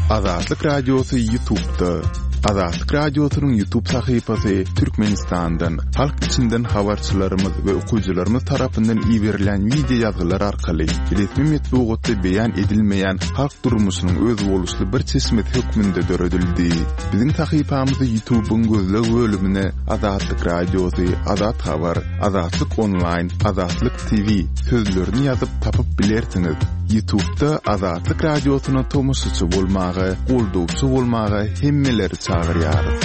Azatlyk Radiosy Ýutubda. Azatlyk Radiosynyň Ýutub sahypasy Türkmenistandan, halk içinden habarçylarymyz we okyjylarymyz tarapyndan iberilýän wideo ýazgylar arkaly resmi metbugatda beýan edilmeýän halk durmuşynyň özboluşly bir çeşmesi hökmünde döredildi. Biziň sahypamyzy Ýutubyň gözleg bölümine Azatlyk Radiosy, Azat Habar, Azatlyk Onlaýn, Azatlyk TV sözlerini ýazyp tapyp bilersiňiz. Ýutubda Azatlyk Radiosyna tomaşaçy bolmaga, goldawçy bolmaga hemmeleri çagyrýarys.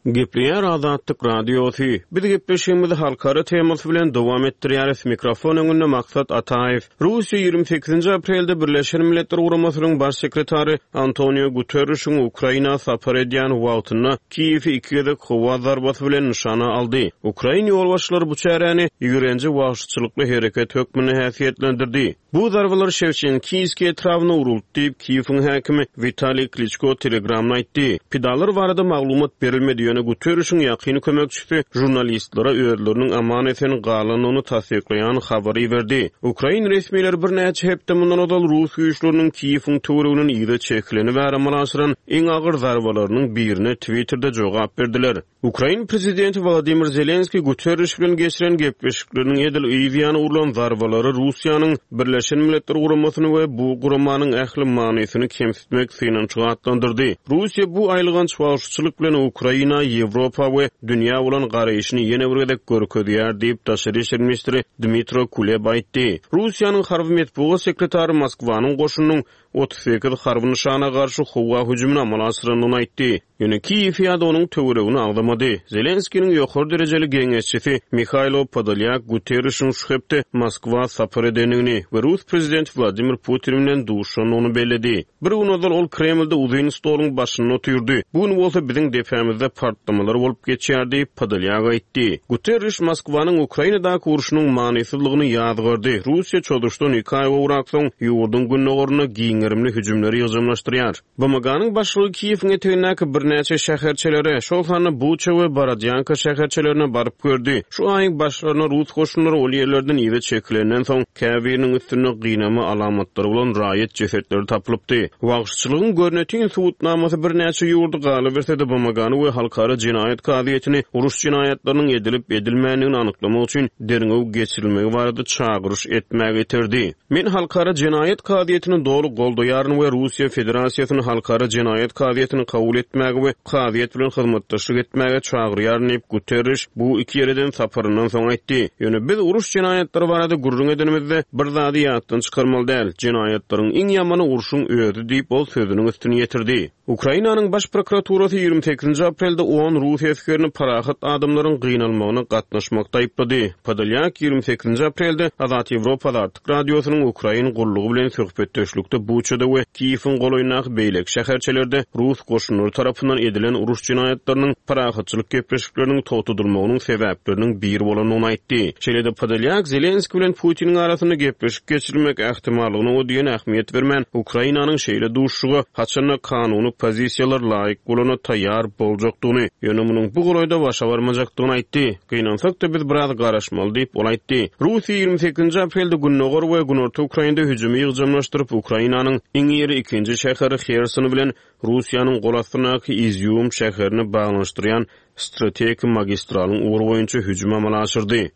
Gepleýär Azatlyk Radiosy. Biz gepleşigimizi halkara temasy bilen dowam etdirýäris. Mikrofon öňünde Maksat Ataýew. Russiýa 28-nji aprelde Birleşen Milletler Guramasynyň Baş sekretary Antonio Guterrişiň Ukraina sapar edýän wagtynda Kiýewi iki gezek howa zarbasy bilen nyşana aldy. Ukrain ýolbaşçylary bu çäräni ýigrenji wagşyçylykly hereket hökmünde häsiýetlendirdi. Bu zarbalar Şewçenkiýskiý etrabyna uruldy diýip, Kiýewiň häkimi Witaliý Kliçko Telegramda aýtdy. Pidalar barada maglumat berilmedi, ýöne Guterrişiň ýakyn kömekçisi žurnalistlere özleriniň aman-esen galandygyny tassyklaýan habary iberdi. Ukrain resmileri birnäçe hepde mundan ozal rus güýçleriniň Kiýewiň töwereginden yza çekileni bäri amala aşyran iň agyr zarbalarynyň birine Twitterde jogap berdiler. Ukrain prezidenti Wolodymyr Zelenskiý Guterriş bilen geçiren gepleşikleriniň edil yz ýany urlan zarbalary Russiýanyň Birleşen Milletler Guramasyny we bu guramanyň ähli manysyny kemsitmek synanyşygy atlandyrdy. Russiýa bu aýylganç wagşyçylyk bilen Ukraina, Ýewropa we dünýä bolan garaýşyny ýene bir gezek görkezýär diýip, daşary işler ministri Dmitro Kuleba aýtdy. Russiýanyň harby metbugat sekretary Moskwanyň goşunynyň 38 harby nyşana garşy howa hüjümini amala aşyrandygyny aýtdy. Ýöne Kiýewi ýa-da onuň töweregini agzamady. Zelenskiniň ýokary derejeli geňeşçisi Mihaýlo Podolýak Guterrişiň şu hepde Moskwa sapar edendigini we rus prezidenti Wladimir Putin bilen duşandygyny belledi. Bir gün ozal ol Kremlde uzyn stoluň başynda otyrdy. Bu gün bolsa biziň depämizde partlamalar bolup geçýär diýip, Podolýak aýtdy. Guterriş Moskwanyň Ukrainadaky urşunyň manysyzlygyny ýazgardy. Russiýa çozuşdan iki aý gowrak soň ýurduň gündogarynda giň gerimli hüjümleri ýygjamlaşdyrýar. BMG-niň başlygy Kiýewiň etegindäki birnäçe şäherçelere, şol sanda Buça we Borodýanka şäherçelerine baryp gördi. Şu aýyň başlarynda rus goşunlary ol ýerlerden yza çekilenden soň, käbiriniň üstünde gynama alamatlary bolan raýat jesetleri tapylypdy. Wagşyçylygyň görnetin subutnamasy birnäçe ýurdy, galyberse-de BMG-ny we Halkara jenaýat kazyýetini uruş jenaýatlarynyň edilip-edilmändigini anyklamak üçin derňew geçirilmegi barada çagyryş etmäge iterdi. Men Halkara jenaýat kazyýetini doly goldaýaryn we Russiýa Federasiýasyny Halkara jenaýat kazyýetini kabul etmäge we kazyýet bilen hyzmatdaşlyk etmäge çagyrýaryn diýip, Guterriş bu iki ýere eden saparyndan soň aýtdy. Ýöne biz uruş jenaýatlary barada gürrüň edenimizde, bir zady ýatdan çykarmaly däl, jenaýatlaryň iň ýamany urşuň özi diýip, ol sözüniň üstüni ýetirdi. Ukrainanyň Baş prokuraturasy 28-nji aprelde on rus esgerini parahat adamlaryň gynalmagyna gatnaşmakda aýyplady. Podolýak 28-nji aprelde Azat Ýewropa Azatlyk Radiosynyň ukrain gullugy bilen söhbetdeşlikde Buçada we Kiýewiň golaýyndaky beýleki şäherçelerde rus goşunlary tarapyndan edilen uruş jenaýatlarynyň parahatçylyk gepleşikleriniň togtadylmagynyň sebäpleriniň biri bolandygyny aýtdy. Şeýle-de Podolýak Zelenskiý bilen Putiniň arasynda gepleşik geçirilmek ähtimallygyna o diýen ähmiýet bermän, Ukrainanyň şeýle duşuşyga haçan-da kanuny pozisiýalar laýyk bolanda taýýar boljakdygyny, ýöne munuň bu golaýda başa barmajakdygyny aýtdy. Gynansak-da, biz biraz garaşmaly diýip, ol aýtdy. Russiýa 28-nji aprelde gündogar we günorta Ukrainada hüjümi ýygjamlaşdyryp, Ukrainanyň iň iri ikinji şäheri Herson bilen Russiýanyň gol astyndaky Izýum şäherini baglanyşdyrýan strategik magistralyň ugry boýunça hüjüm amala aşyrdy.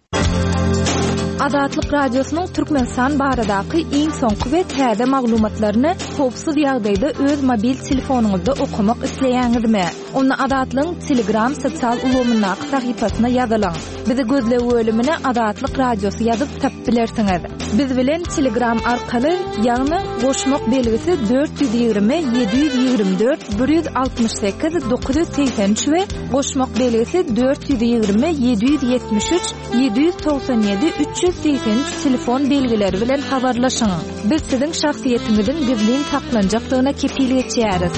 Azatlyk Radiosynyň Türkmenistan baradaky iň soňky we täze maglumatlaryny howpsuz ýagdaýda öz mobil telefonyňyzda okamak isleýäňizmi? Onda Azatlygyň Telegram sosial ulgamyndaky sahypasyna ýazylyň. Bizi gözleg bölümine Azatlyk Radiosy ýazyp tapyp bilersiňiz. Biz bilen Telegram arkaly, ýagny goşmak belgisi 420 724 168 983 we goşmak belgisi 420 773 797 383 telefon belgileri bilen habarlaşyň. Biz siziň şahsyýetiňiziň gizlin saklanjakdygyna kepil geçýäris.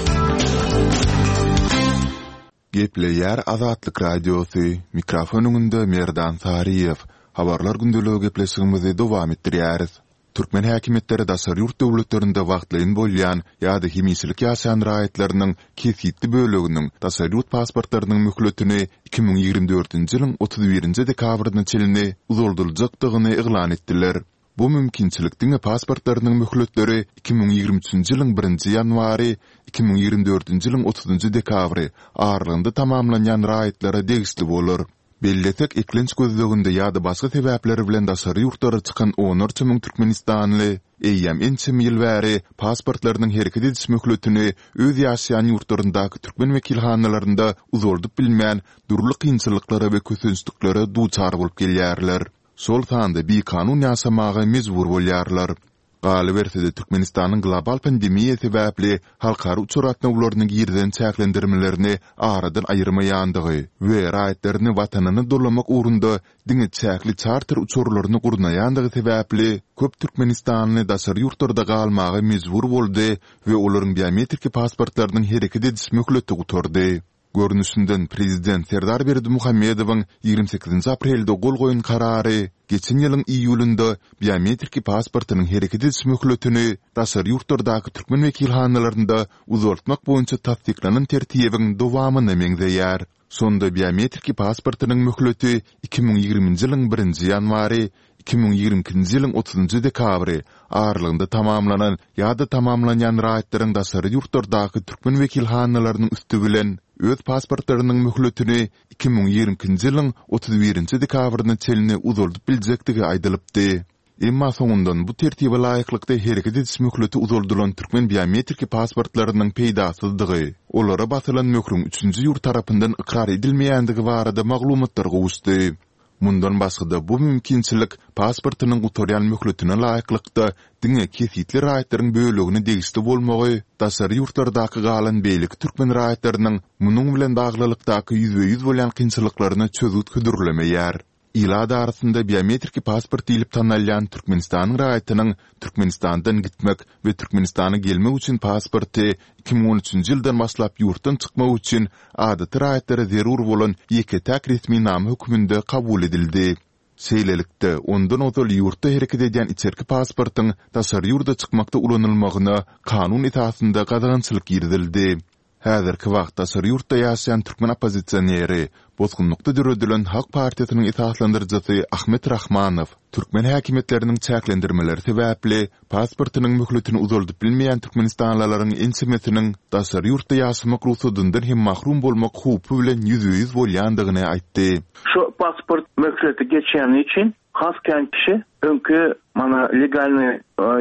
Gepleýär Azatlyk Radiosy, mikrofon öňünde Merdan Saryýew. Habarlar gündeligi gepleşigimizi dowam etdirýäris. Türkmen häkimiýetleri daşary ýurt döwletlerinde wagtlaýyn bolýan ýa-da hemişelik ýaşaýan raýatlarynyň kesgitli böleginiň daşary ýurt pasportlarynyň möhletini 2024-nji ýylyň 31-nji dekabryna çenli uzaldyljakdygyny yglan etdiler. Bu mümkinçilik diňe pasportlarynyň möhletleri 2023-nji ýylyň birinji ýanwary, 2024-nji ýylyň otuzynjy dekabry aralygynda tamamlanýan raýatlara degişli bolar. Bellesek, eklenç gözleginde ýa-da başga sebäpler bilen daşary ýurtlara çykan onlarça müň türkmenistanly eýýäm ençeme ýyl bäri pasportlarynyň hereket ediş möhletini öz ýaşaýan ýurtlaryndaky türkmen wekilhanalarynda uzaldyp bilmän, dürli kynçylyklara we kösençliklere duçar bolup gelýärler. Şol sanda bikanun ýaşamaga mejbur bolýarlar. Galyberse-de, Türkmenistanyň global pandemiýa sebäpli halkara uçar gatnawlaryna girizen çäklendirmelerini aradan aýyrmaýandygy we raýatlaryny Watanyna dolamak ugrunda diňe çäkli çarter uçarlaryny gurnaýandygy sebäpli köp türkmenistanly daşary ýurtlarda galmaga mejbur boldy we olaryň biometrik pasportlarynyň hereket ediş möhleti gutardy. Görnüşinden, prezident Serdar Berdimuhamedowyň 28-nji aprelde gol goýan karary geçen ýylyň iýulynda biometrik pasportynyň hereket ediş möhletini daşary ýurtlardaky türkmen wekilhanalarynda uzaltmak boýunça tassyklanan tertibiň dowamyna meňzeýär. Şonda biometrik pasportynyň möhleti 2020-nji ýylyň birinji ýanwary, 2022-nji ýylyň otuzynjy dekabry aralygynda tamamlanan ýa-da tamamlanýan raýatlaryň daşary ýurtlardaky türkmen wekilhanalarynyň üsti bilen öz pasportlarynyň möhletini 2022-nji ýylyň 31-nji dekabryna çenli uzaldyp biljekdigi aýdylypdy. Emma soňundan bu tertibe laýyklykda hereket ediş möhleti uzaldylan türkmen biometrik pasportlarynyň peýdasyzdygy, olara basylan möhrüň üçünji ýurt tarapyndan ykrar edilmeýändigi barada maglumatlar gowuşdy. Mundan başga-da, bu mümkinçilik pasportynyň gutarýan möhletine laýyklykda diňe kesgitli raýatlaryň bölegine degişli bolmagy daşary ýurtlardaky galan beýleki türkmen raýatlarynyň munuň bilen baglylykdaky ýüzbe-ýüz bolýan kynçylyklaryna çözgüt hödürlemeýär. Ilat arasynda biometrik pasport diýlip tanalýan Türkmenistanyň raýatynyň Türkmenistandan gitmek we Türkmenistana gelmek üçin pasporty 2013-nji ýyldan başlap ýurtdan çykmak üçin adaty raýatlara zerur bolan ýeke-täk resminama hökmünde kabul edildi. Şeýlelikde, ondan ozal ýurtda hereket edýän içerki pasportyň daşary ýurda çykmakda ulanylmagyna kanun esasynda gadagançylyk girizildi. Häzirki wagt daşary ýurtda ýaşaýan türkmen oppozisioneri, bosgunlykda döredilen Halk partiýasynyň esaslandyryjysy Ahmet Rahmanow türkmen häkimiýetleriniň çäklendirmeleri sebäpli pasportynyň möhletini uzaldyp bilmeýän türkmenistanlylaryň ençemesiniň daşary ýurtda ýaşamak rugsadyndan hem mahrum bolmak howpy bilen ýüzbe-ýüz bolýandygyny aýtdy. Şu pasport möhleti geçýäni üçin has kän kişi öňki mana legalnyý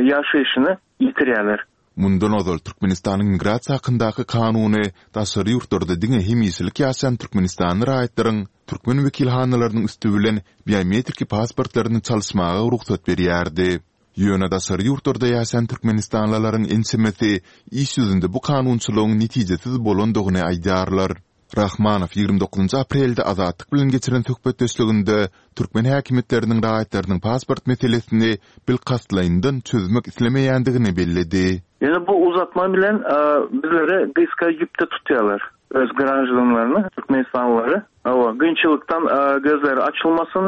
ýaşaýşyny ýitirýärler. Mundan ozal Türkmenistanyň Migrasiýa hakyndaky kanuny daşary ýurtlarda diňe hemişelik ýaşaýan türkmenistanly raýatlaryň türkmen wekilhanalarynyň üsti bilen biometrik pasportlaryny çalyşmaga rugsat berýärdi. Ýöne daşary ýurtlarda ýaşaýan türkmenistanlylaryň ençemesi iş ýüzünde bu kanunçylygyň netijesiz bolandygyny aýdýarlar. Rahmanow 29 aprelde Azatlyk bilen geçiren söhbetdeşliginde türkmen häkimiýetleriniň raýatlarynyň pasport meselesini bilkastlaýyndan çözmek islemeýändigini belledi. Ýöne bu uzatma bilen bizleri gysga ýüpde tutýarlar, öz graždanlaryny, türkmenistanlylary. Hawa, kynçylykdan gözleri açylmasyn,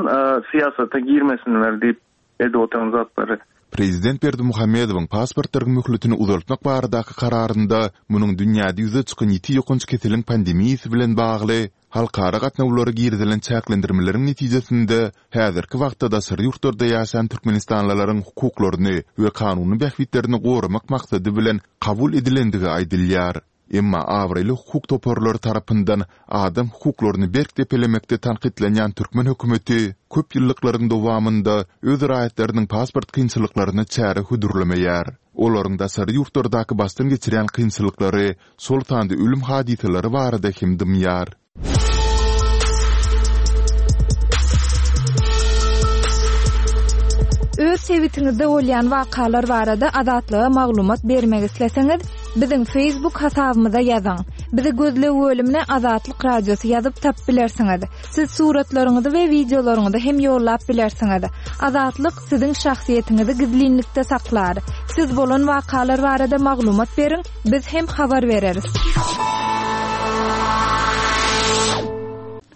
syýasata girmesinler diýip edip oturan zatlary. Prezident Berdimuhamedowyň pasportlaryň möhletini uzaltmak baradaky kararynda munuň dünýäde ýüze çykan ýiti ýokanç keseliň pandemiýasy bilen bagly halkara gatnawlara girizilen çäklendirmeleriň netijesinde häzirki wagtda daşary ýurtlarda ýaşaýan türkmenistanlylaryň hukuklaryny we kanuny bähbitlerini goramak maksady bilen kabul edilendigi aýdylýar. Emma abraýly hukuk toparlary tarapyndan adam hukuklaryny berk depelemekde tankytlanýan türkmen hökümeti köp ýyllyklaryň dowamynda öz raýatlarynyň pasport kynçylyklaryna çäre hödürlemeýär. Olaryň daşary ýurtlardaky başdan geçirýän kynçylyklary, şol sanda ölüm hadysalary barada hem dymýar. Öz sebitiňizde bolýan wakalar barada Azatlyga maglumat bermek isleseňiz, biziň Facebook hasabymyza ýazyň. Bizi gözleg bölümine Azatlyk Radiosy ýazyp tapyp bilersiňiz. Siz suratlaryňyzy we wideolaryňyzy hem ýollap bilersiňiz. Azatlyk siziň şahsyýetiňizi gizlinlikde saklar. Siz bolan wakalar barada maglumat beriň, biz hem habar bereris.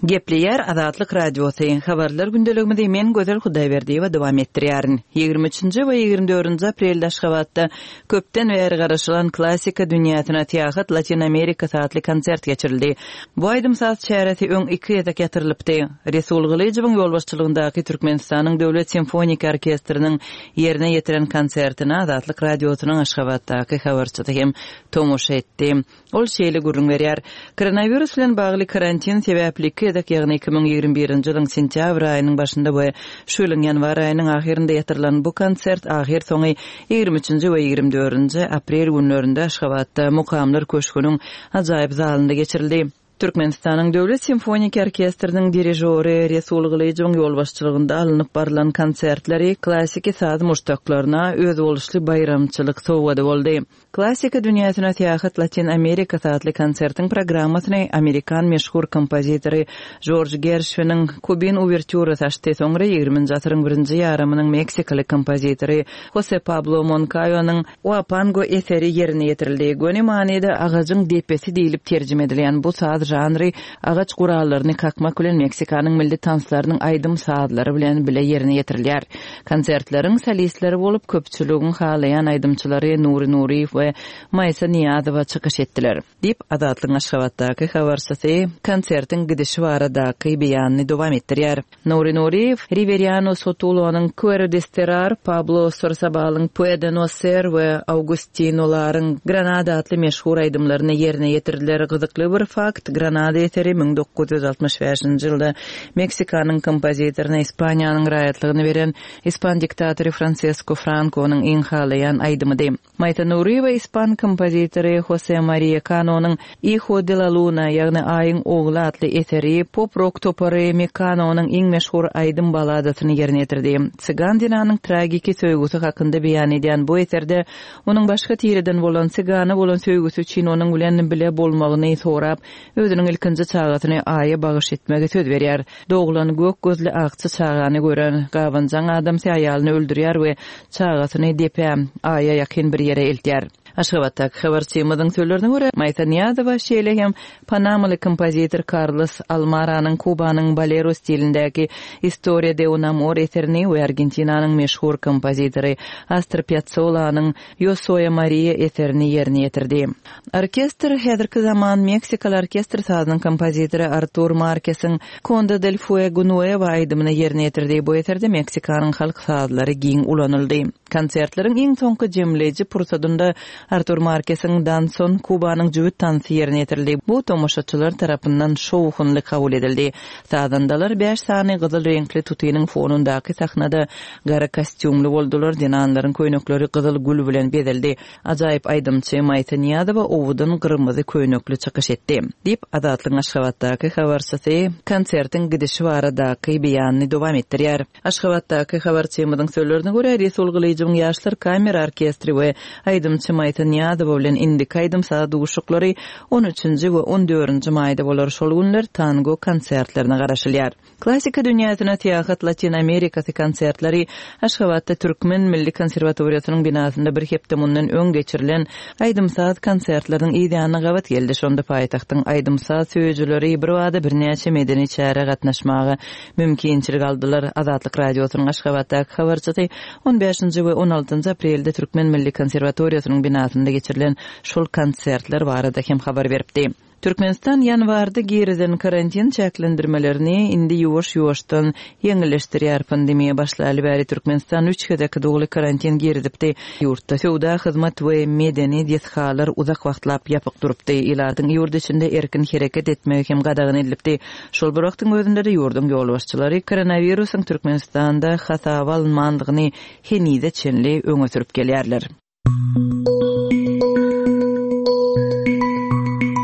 Gepleýär Azatlyk Radiosy, Habarlar gündeligimizi men Gözel Hudaýberdiýewa dowam etdirýärin. Ýigrimi üçünji we ýigrimi dördünji aprelde Aşgabatda köpden bäri garaşylan Klassika dünýäsine syýahat Latyn Amerikasy atly konsert geçirildi. Bu aýdym-saz çäresi öň iki gezek ýatyrylypdy. Resul Gylyjowyň ýolbaşçylygyndaky Türkmenistanyň Döwlet simfoniki orkestriniň ýerine ýetiren konsertine Azatlyk Radiosynyň Aşgabatdaky habarçysy hem tomaşa etdi. Ol şeýle gürrüň berýär, Koronawirus bilen bagly karantin sebäpli iki gezek, ýagny 2021-nji ýylyň sentýabr aýynyň başynda we şu ýylyň ýanwar aýynyň ahyrynda ýatyrylan bu konsert ahyrsoňy ýigrimi üçünji we ýigrimi dördünji aprel günlerinde Aşgabatda Mukamlar köşgüniň ajaýyp zalynda geçirildi. Türkmenistanyň Döwlet simfoniki orkestriniň dirižory Resul Gylyjowyň ýolbaşçylygynda alnyp barlan konsertleri klassiki saz muşdaklaryna özboluşly baýramçylyk sowgady boldy. Klassika dünýäsine syýahat Latyn Amerikasy atly konsertiň programmasyny amerikan meşhur kompozitory Jorj Gerşwiniň Kubin uwertýurasy açdy, soňra ýigriminji asyryň birinji ýarymynyň meksikaly kompozitory Hose Pablo Monkaýonyň Uapango eseri ýerine ýetirildi. Göni manyda agajyň depesi diýlip terjime edilýän bu saz žanry agaç gurallaryny kakmak bilen Meksikanyň milli tanslarynyň aýdym-sazlary bilen bile ýerine ýetirilýär. Konsertleriň solistleri bolup köpçüligiň halaýan aýdymçylary Nury Nuryýew we Maýsa Nyýazowa çykyş etdiler. Diýip, Azatlygyň Aşgabatdaky habarçysy konsertiň gidişi baradaky beýanyny dowam etdirýär. Nury Nuryýew Riweriano Sotulonyň Quero Desterrar, Pablo Sorsabalyň Puede No Ser we Augustino Laryň Granada atly meşhur aýdymlaryny ýerine ýetirdiler. Gyzykly bir fakt, Granada eseri 1965-nji ýylda Meksikanyň kompozitoryna Ispaniýanyň raýatlygyny beren ispan diktatory Fransesko Frankonyň iň halaýan aýdymydy. Maýsa Nuryýewa ispan kompozitory Hose Mariýa Kanonyň Hijo de la Luna, ýagny Aýyň ogly atly eseri, pop-rok topary Mekanonyň iň meşhur aýdym balladasyny ýerine ýetirdi. Cygan zenanyň tragiki söýgüsi hakynda beýan edýän bu eserde onuň başga tireden bolan sygana bolan söýgüsi üçin onuň bilen bile bolmagyny sorap, özüniň ilkinji çagasyny Aýa bagyş etmegi söz berýär. Doglan gök gözli akja çagany gören gabanjaň adamsy aýalyny öldürýär we çagasyny depä, Aýa ýakyn bir ýere eltýär. Aşgabatdaky habarçymyzyň sözlerine görä, Maýsa Nyýazowa şeýle hem panamaly kompozitor Karlos Almaranyň Kubanyň bolero stilindäki Historia de un amor eserini we Argentinanyň meşhur kompozitory Astor Pýatsolanyň Yo soy Maria eserini ýerine ýetirdi. Orkestr häzirki zaman meksikaly orkestr sazynyň kompozitory Artur Markesiň Conde del Fuego Nuevo aýdymyny ýerine ýetirdi. Bu eserde Meksikanyň halk sazlary giň ulanyldy. Konsertleriň iň soňky jemleýji pursadynda Artur Markesiň Danson, Kubanyň jübüt tansy ýerine ýetirildi. Bu tomaşaçylar tarapyndan şowhunly kabul edildi. Sazandalar bäş sany gyzyl reňkli tutynyň fonundaky sahnada gara kostýumly boldular, zenanlaryň köýnekleri gyzyl gül bilen bezeldi. Ajaýyp aýdymçy Maýsa Nyýazowa owadan gyrmyzy köýnekli çykyş etdi. Diýip, Azatlygyň Aşgabatdaky habarçysy konsertiň gidişi baradaky beýanyny dowam etdirýär. Aşgabatdaky habarçymyzyň sözlerine görä, Resul Gylyjowyň Ýaşlar kamera orkestri we aýdymçy Maýsa Nyýazowa bilen indiki aýdym-saz duşuşyklary on üçünji we on dördünji maýda bolar, şol günler tango konsertlerine garaşylýar. Klassika dünýäsine syýahat Latyn Amerikasy konsertleri Aşgabatda Türkmen milli konserwatoriýasynyň binasynda bir hepde mundan öň geçirilen aýdym-saz konsertleriniň yz ýanyna gabat geldi. Şonda paýtagtyň aýdym-saz söýüjileri birbada birnäçe medeni çärä gatnaşmaga mümkinçilik aldylar. Azatlyk Radiosynyň Aşgabatdaky habarçysy on bäşinji we on altynjy aprelde Türkmen milli konserwatoriýasynyň binasynda geçirilen şol konsertler barada hem habar beripdi. Türkmenistan ýanwarda girizen karantin çäklendirmelerini indi ýuwaş-ýuwaşdan ýeňilleşdirýär. Pandemiýa başlaly bäri Türkmenistan üç gezek doly karantin girizipdi. Ýurtda söwda, hyzmat we medeni desgalar uzak wagtlap ýapyk durupdy. Ilatyň ýurt içinde erkin hereket etmegi hem gadagan edilipdi. Şol bir wagtyň özünde-de ýurduň ýolbaşçylary koronawirusyň Türkmenistanda hasaba alynmandygyny henize çenli öňe sürüp gelýärler.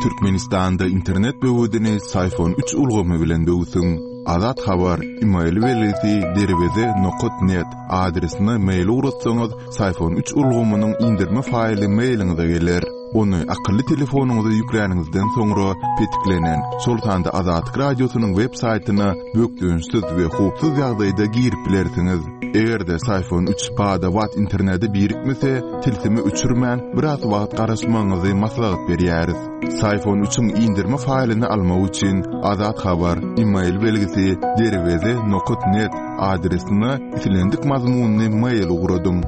Türkmenistanda internet böwedini Syfon üç ulgamy bilen böwsüň. Azat Habar, email belgisi derweze nokat net adresine mail ugratsaňyz, Syfon üç ulgamynyň indirme faýly mailiňize geler. Ony akylly telefonyňyza ýükläniňizden soňra petiklenen, şol sanda Azatlyk Radiosynyň web saýtyna bökdençsiz we howpsuz ýagdaýda girip bilersiňiz. Eger-de Syfon 3 bada-bat internete birikmese, tilsimi öçürmän, biraz wagt garaşmagyňyzy maslahat berýäris. Syfon 3-iň indirme faýlyny almak üçin Azat Habar e-mail belgisi derweze nokat net adresine islendik mazmunly mail ugradyň.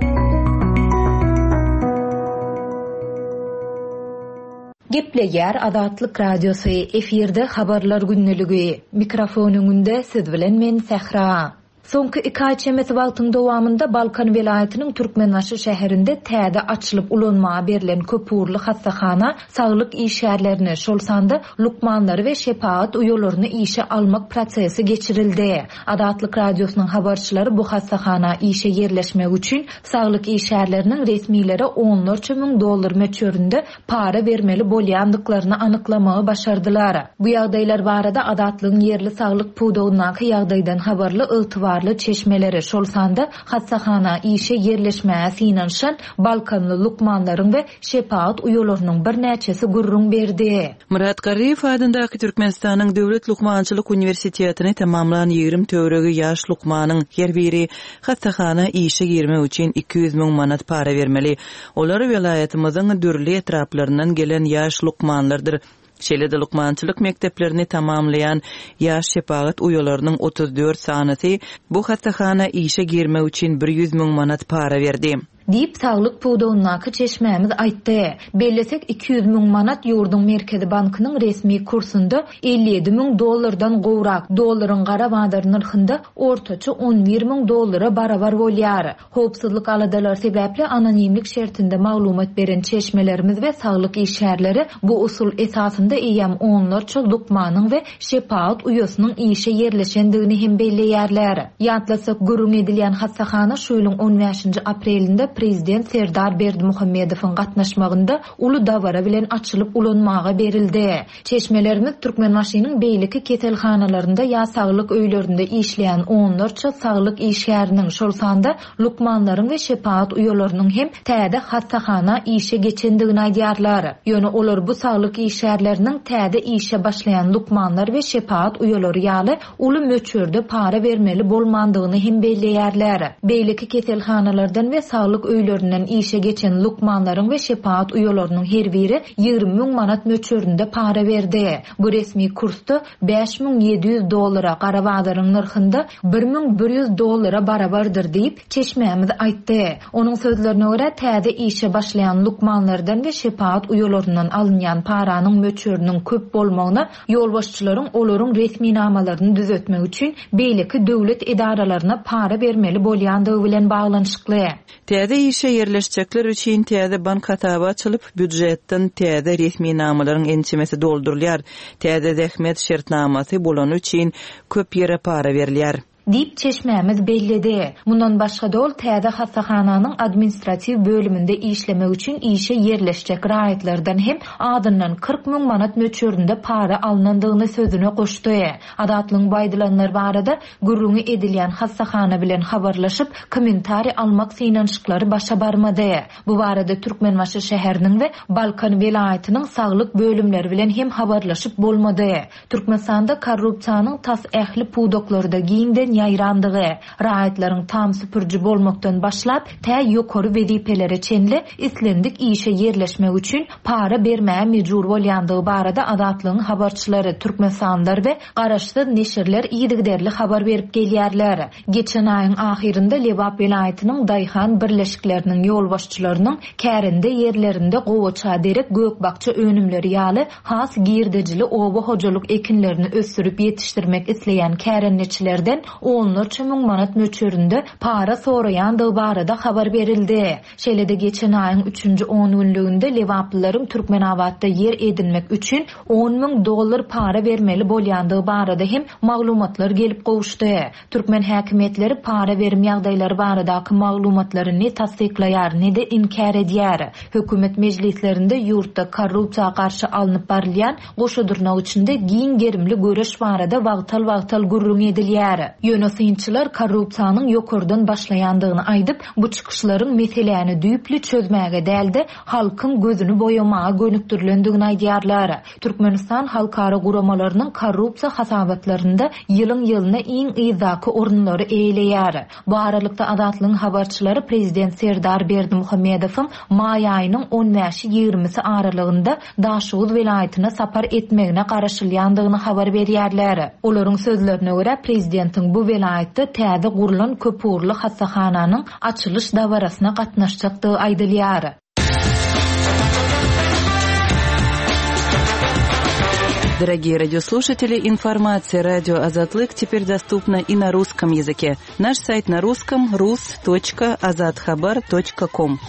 Gepleýär Azatlyk Radiosy, efirde Habarlar gündeligi. Mikrofon öňünde siz bilen men Sähra. Soňky iki aý çemesi wagtyň dowamynda Balkan welaýatynyň Türkmenbaşy şäherinde täze açylyp ulanmaga berlen köpugurly hassahana saglyk işgärlerini, şol sanda lukmanlary we şepagat uýalaryny işe almak prosesi geçirildi. Azatlyk Radiosynyň habarçylary bu hassahana işe ýerleşmek üçin saglyk işgärleriniň resmilere onlarça müň dollar möçberinde para bermeli bolýandyklaryny anyklamagy başardylar. Bu ýagdaýlar barada Azatlygyň ýerli saglyk pudagyndaky ýagdaýdan habarly ygtybarly çeşmeleri, şol sanda hassahana işe ýerleşmäge synanyşan balkanly lukmanlaryň we şepagat uýalarynyň birnäçesi gürrüň berdi. Myrat Garryýew adyndaky Türkmenistanyň Döwlet lukmançylyk uniwersitetini tamamlan 20 töweregi ýaş lukmanyň her biri hassahana işe girmek üçin 200 müň manat para bermeli. Olar welaýatymyzyň dürli etraplaryndan gelen ýaş lukmanlardyr. Şeýle-de lukmançylyk mekdeplerini tamamlaýan ýaş şepagat uýalarynyň 34 sanysy bu hassahana işe girmek üçin bir ýüz müň manat para berdi. Diýip, saglyk pudagyndaky çeşmämiz aýtdy. Bellesek, 200 müň manat ýurduň Merkezi bankynyň resmi kursunda 57 müň dollardan gowrak, dollaryň gara bazar nyrhynda ortaça 11 müň dollara barabar bolýar. Howpsuzlyk aladalary sebäpli anonimlik şertinde maglumat beren çeşmelerimiz we saglyk işgärleri bu usul esasynda eýýäm onlarça lukmanyň we şepagat uýasynyň işe ýerleşendigini hem belleýärler. Ýatlatsak, gürrüň edilýän hassahana şu ýylyň on bäşinji aprelinde prezident Serdar Berdimuhamedowyň gatnaşmagynda uly dabara bilen açylyp ulanmaga berildi. Çeşmelerimiz Türkmenbaşynyň beýleki keselhanalarynda ýa saglyk öýlerinde işleýän onlarça saglyk işgäriniň, şol sanda lukmanlaryň we şepagat uýalarynyň hem täze hassahana işe geçendigini aýdýarlar. Ýöne olar bu saglyk işgärleriniň täze işe başlaýan lukmanlar we şepagat uýalary ýaly uly möçberde para bermeli bolmandygyny hem belleýärler. Beýleki keselhanalardan we saglyk öýlerinden işe geçen lukmanlaryň we şepagat uýalarynyň her biri 20 müň manat möçberinde para berdi. Bu resmi kursda 5700 dollara, gara bazaryň nyrhynda 1100 dollara barabardyr diýip, çeşmämiz aýtdy. Onuň sözlerine görä, täze işe başlaýan lukmanlardan we şepagat uýalaryndan alynýan paranyň möçberiniň köp bolmagyna Ýolbaşçylaryň olaryň resminamalaryny düzetmek üçin beýleki döwlet edaralaryna para bermeli bolýandygy bilen baglanyşykly. Täze işe ýerleşjekler üçin täze bank hasaby açylyp, býujetden täze resminamalaryň ençemesi doldurylýar. Täze zähmet şertnamasy bolany üçin köp ýere para berilýär. Diýip, çeşmämiz belledi. Mundan başga-da ol täze hassahananyň administratiw bölüminde işlemek üçin işe ýerleşjek raýatlardan hem azyndan 40 müň manat möçberinde para alnandygyny sözüne goşdy. Azatlygyň bu aýdylanlar barada gürrüňi edilýän hassahana bilen habarlaşyp, kommentariý almak synanyşyklary başa barmady. Bu barada Türkmenbaşy şäheriniň we Balkan welaýatynyň saglyk bölümleri bilen hem habarlaşyp bolmady. Türkmenistanda korrupsiýanyň tas ähli pudaklarda giňden ýaýrandygy, raýatlaryň tam süpüriji bolmakdan başlap, tä ýokary wezipelere çenli islendik işe ýerleşmek üçin para bermäge mejbur bolýandygy barada Azatlygyň habarçylary, türkmenistanlylar we garaşsyz neşirler yzygiderli habar berip gelýärler. Geçen aýyň ahyrynda Lebap welaýatynyň daýhan birleşikleriniň ýolbaşçylarynyň kärende ýerlerinde gowaça derek gök-bakja önümleri ýaly has girdejili oba hojalyk ekinlerini ösdürip ýetişdirmek isleýän kärendeçilerden onlarça müň manat möçberinde para soraýandygy barada habar berildi. Şeýle-de geçen aýyň üçünji ongünlüginde lebaplylaryň Türkmenabatda ýer edinmek üçin on müň dollar para bermeli bolýandygy barada hem maglumatlar gelip gowuşdy. Türkmen häkimiýetleri para berim ýagdaýlary baradaky maglumatlary ne tassyklaýar, ne-de inkär edýär. Hökümet mejlislerinde ýurtda korrupsiýa garşy alnyp barylýan goşa dyrnak içinde giň gerimli göreş barada wagtal-wagtal gürrüň edilýär. Ýöne synçylar korrupsiýanyň ýokardan başlaýandygyny aýdyp, bu çykyşlaryň meseläni düýpli çözmäge däl-de, halkyň gözüni boýamaga gönükdirilendigini aýdýarlar. Türkmenistan halkara guramalarynyň korrupsiýa hasabatlarynda ýylyň-ýylyna iň yzdaky orunlary eýeleýär. Bu aralykda, Azatlygyň habarçylary prezident Serdar Berdimuhamedowyň maý aýynyň on bäşi-ýigrimisi aralygynda Daşoguz welaýatyna sapar etmegine garaşylýandygyny habar berýärler. Olaryň sözlerine görä, prezidentiň bu welaýatda täze gurlan köpugurly hassahananyň açylyş dabarasyna gatnaşjakdygy aýdylýar. Дорогие радиослушатели, информация радио Азатлык теперь доступна и на русском языке. Наш сайт на русском rus.azathabar.com.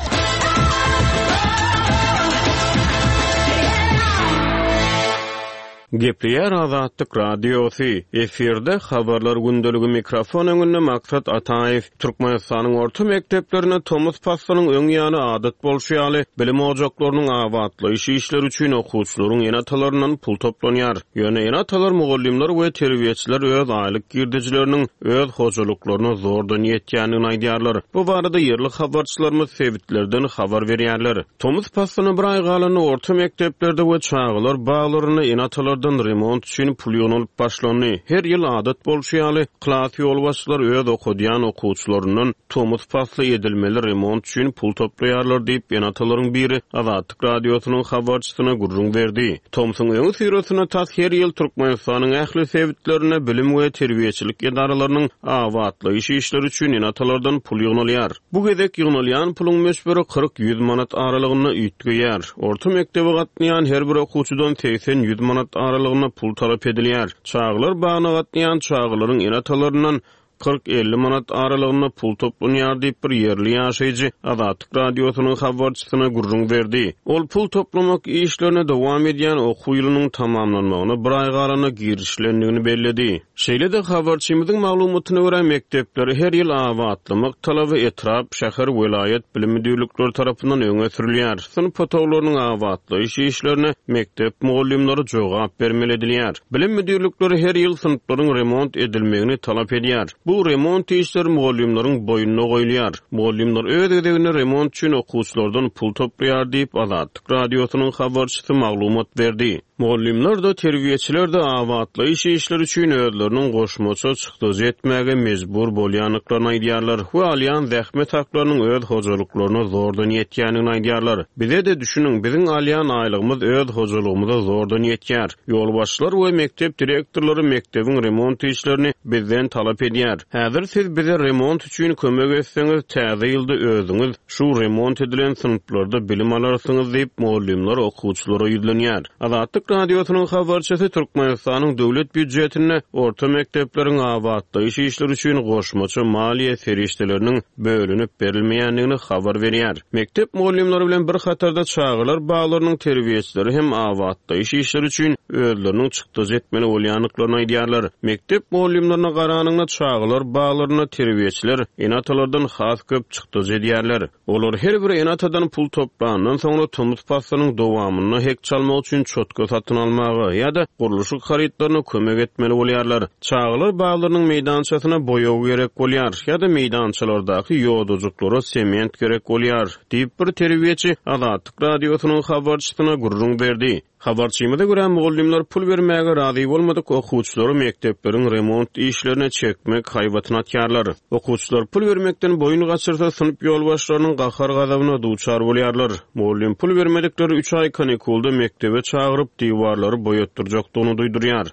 Gepleýär Azatlyk Radiosy, Efirde Habarlar gündeligi mikrofon öňünde Maksat Ataýew. Türkmenistanyň orta mekdeplerinde tomus paslynyň öň ýany adat bolşy ýaly, bilim ojaklarynyň abatlaýyş işleri üçin okuwçylaryň ene-atalaryndan pul toplanýar. Ýöne ene-atalar, mugallymlar we terbiýeçiler öz aýlyk girdejileriniň öz hojalyklaryna zordan ýetýändigini aýdýarlar. Bu barada ýerli habarçylarymyz sebitlerden habar berýärler. Tomus paslyna bir aý galanda orta mekdeplerde we çagalar baglarynda ene-atalardan remont üçin pul ýygnalyp başlandy. Her ýyl adat bolşy ýaly, klas ýolbaşçylary öz okadýan okuwçylaryndan tomus pasly edilmeli remont üçin pul toplaýarlar diýip, ene-atalaryň biri Azatlyk Radiosynyň habarçysyna gürrüň berdi. Tomsuň öňüsyrasynda tas her ýyl Türkmenistanyň ähli sebitlerinde bilim we terbiýeçilik edaralarynyň abatlaýyş işleri üçin ene-atalardan pul ýygnalýar. Bu gezek ýygnalýan puluň möçberi 40-ýüz manat aralygynda üýtgeýär. Orta mekdebe gatnaýan her bir okuwçydan 80-ýüz manat aralygynda pul talap edilýär. Çagalar bagyna gatnaýan çagalaryň ene-atalaryndan 40-50 manat aralygynda pul toplanýar diýip, bir ýerli ýaşaýjy Azatlyk Radiosynyň habarçysyna gürrüň berdi. Ol pul toplamak işlerine dowam edýän okuw ýylynyň tamamlanmagyna bir aý galanda girişilendigini belledi. Şeýle-de, habarçymyzyň maglumatyna görä, mekdepleri her ýyl abatlamak talaby etrap, şäher, welaýat bilim müdirlikleri tarapyndan öňe sürülýär. Synp otaglarynyň abatlaýyş işlerine mekdep mugallymlary jogap bermeli edilýär. Bilim müdirlikleri her ýyl synplaryň remont edilmegini talap edýär. Bu remont işleri mugallymlaryň boýnuna goýulýar. Mugallymlar öz gezeginde remont üçin okuwçylardan pul toplaýar diýip, Azatlyk Radiosynyň habarçysy maglumat berdi. Mugallymlar-da, terbiýeçiler-de abatlaýyş işleri üçin özleriniň goşmaça çykdajy etmäge mejbur bolýandyklaryny aýdýarlar we alýan zähmet haklarynyň öz hojalyklaryna zordan ýetýändigini aýdýarlar. Bize-de düşüniň, biziň alýan aýlygymyz öz hojalygymyza zordan ýetýär. Ýolbaşçylar we mekdep direktorlary mekdebiň remont işlerini bizden talap edýär. Häzir siz bize remont üçin kömek etseňiz, täze ýylda özüňiz şu remont edilen synplarda bilim alarsyňyz diýip, mugallymlar okuwçylara ýüzlenýär. Azatlyk Radiosynyň habarçysy Türkmenistanyň döwlet býujetinde orta mekdepleriň abatlaýyş işleri üçin goşmaça maliýe serişdeleriniň bölünip berilmeýändigini habar berýär. Mekdep mugallymlary bilen bir hatarda çagalar baglarynyň terbiýeçileri hem abatlaýyş işleri üçin özleriniň çykdajy etmeli bolýandyklaryny aýdýarlar. Mekdep mugallymlaryna garanyňda çagalar baglarynda terbiýeçiler ene-atalardan has köp çykdajy edýärler. Olar her bir ene-atadan pul toplandan soňra tomus paslynyň dowamynda hek çalmak üçin çotga satyn almaga ýa-da gurluşyk harytlaryna kömek etmeli bolýarlar. Çagalar baglarynyň meýdançasyna boýag gerek bolýar ýa-da meýdançalardaky ýodajyklara sement gerek bolýar, diýip, bir terbiýeçi Azatlyk Radiosynyň habarçysyna gürrüň berdi. Habarçymyza görä, mugallymlar pul bermäge razy bolmadyk okuwçylary mekdepleriň remont işlerine çekmek haýbatyny atýarlar. Okuwçylar pul bermekden boýun gaçyrsa, synp ýolbaşçylarynyň gahar-gazabyna duçar bolýarlar. Mugallym pul bermedikleri üç aý kanikulda mekdebe çagyryp, diwarlary boýatdyrjakdygyny duýdurýar.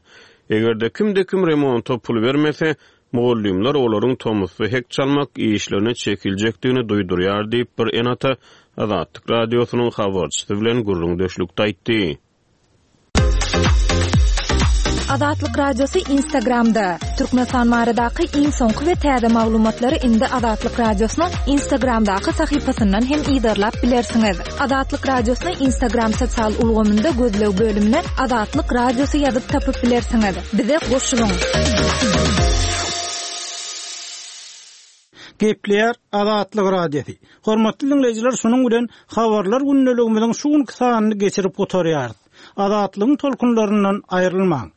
Eger-de kimde-kim remonta pul bermese, mugallymlar olaryň tomusda hek çalmak işlerine çekiljekdigini duýdurýar diýip, bir ene-ata Azatlyk Radiosynyň habarçysy bilen gürrüňdeşlikde aýtdy. Azatlyk Radiosy Instagramda, Türkmenistan baradaky iň soňky we täze maglumatlary indi Azatlyk Radiosynyň Instagramdaky sahypasyndan hem yzarlap bilersiňiz. Azatlyk Radiosyny Instagram sosial ulgamynda gözleg bölümine Azatlyk Radiosy ýazyp tapyp bilersiňiz. Bize goşulyň! Gepleýär Azatlyk Radiosy. Hormatly diňleýjiler, şunuň bilen Habarlar gündeligimiziň şu günki sanyny geçirip gutarýarys. Azatlygyň tolkunlaryndan aýrylmaň!